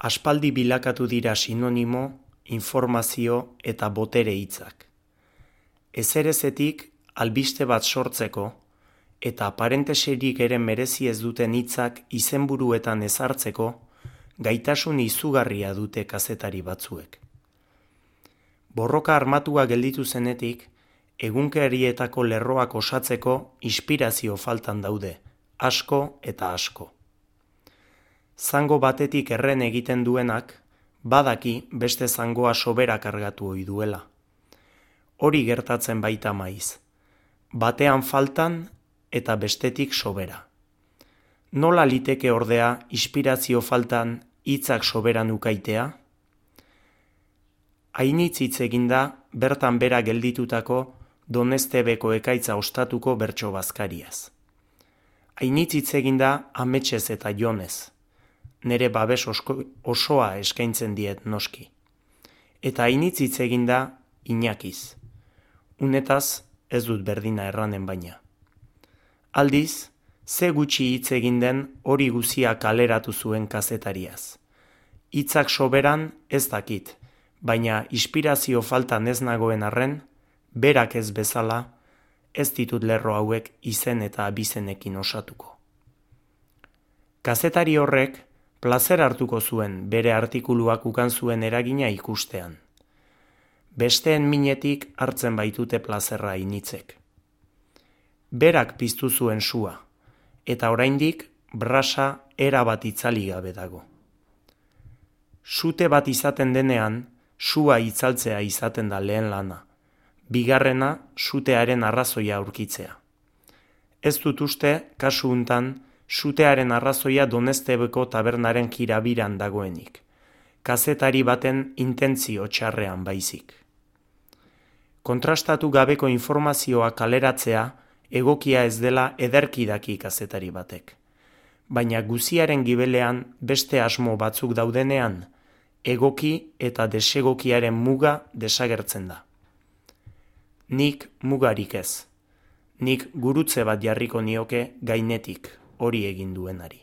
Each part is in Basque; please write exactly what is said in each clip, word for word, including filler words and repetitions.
Aspaldi bilakatu dira sinonimo, informazio eta botere hitzak. Ezerezetik albiste bat sortzeko eta aparenteserik ere merezi ez duten hitzak izenburuetan ezartzeko gaitasun izugarria dute kazetari batzuek. Borroka armatua gelditu zenetik, egunkarietako lerroak osatzeko inspirazio faltan daude, asko eta asko. Zango batetik erren egiten duenak, badaki beste zangoa sobera kargatu ohi duela. Hori gertatzen baita maiz. Batean faltan eta bestetik sobera. Nola liteke ordea inspirazio faltan hitzak soberan ukaitea? Hainitz hitz eginda bertan bera gelditutako Donestebeko ekaitza ostatuko bertso bazkariaz. Hainitz hitz eginda ametsez eta jonez. Nere babes osko, osoa eskaintzen diet noski. Eta hainitz hitz eginda Inakiz. Unetaz ez dut berdina erranen baina. Aldiz, ze gutxi hitz egin den hori guzia kaleratu zuen kazetariaz. Hitzak soberan ez dakit, baina inspirazio faltan ez nagoen arren, berak ez bezala, ez ditut lerro hauek izen eta abizenekin osatuko. Kazetari horrek plazer hartuko zuen bere artikuluak ukan zuen eragina ikustean. Besteen minetik hartzen baitute plazerra initzek. Berak piztu zuen sua, eta oraindik brasa erabat itzali gabe dago. Sute bat izaten denean, sua itzaltzea izaten da lehen lana, bigarrena sutearen arrazoia aurkitzea. Ez dut uste, kasu untan, sutearen arrazoia Donestebeko tabernaren kirabiran dagoenik, kazetari baten intentzio txarrean baizik. Kontrastatu gabeko informazioa kaleratzea egokia ez dela ederki daki kazetari batek. Baina guziaren gibelean beste asmo batzuk daudenean, egoki eta desegokiaren muga desagertzen da. Nik mugarik ez. Nik gurutze bat jarriko nioke gainetik hori egin duenari.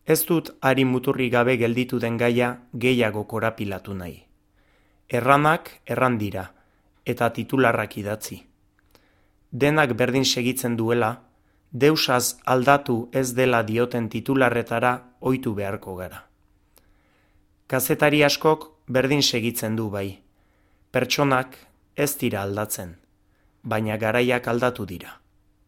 Ez dut hari muturri gabe gelditu den gaia gehiago korapilatu nahi. Erranak erran dira, eta titularrak idatzi. Denak berdin segitzen duela, deusaz aldatu ez dela dioten titularretara ohitu beharko gara. Kazetari askok berdin segitzen du bai. Pertsonak ez dira aldatzen, baina garaiak aldatu dira.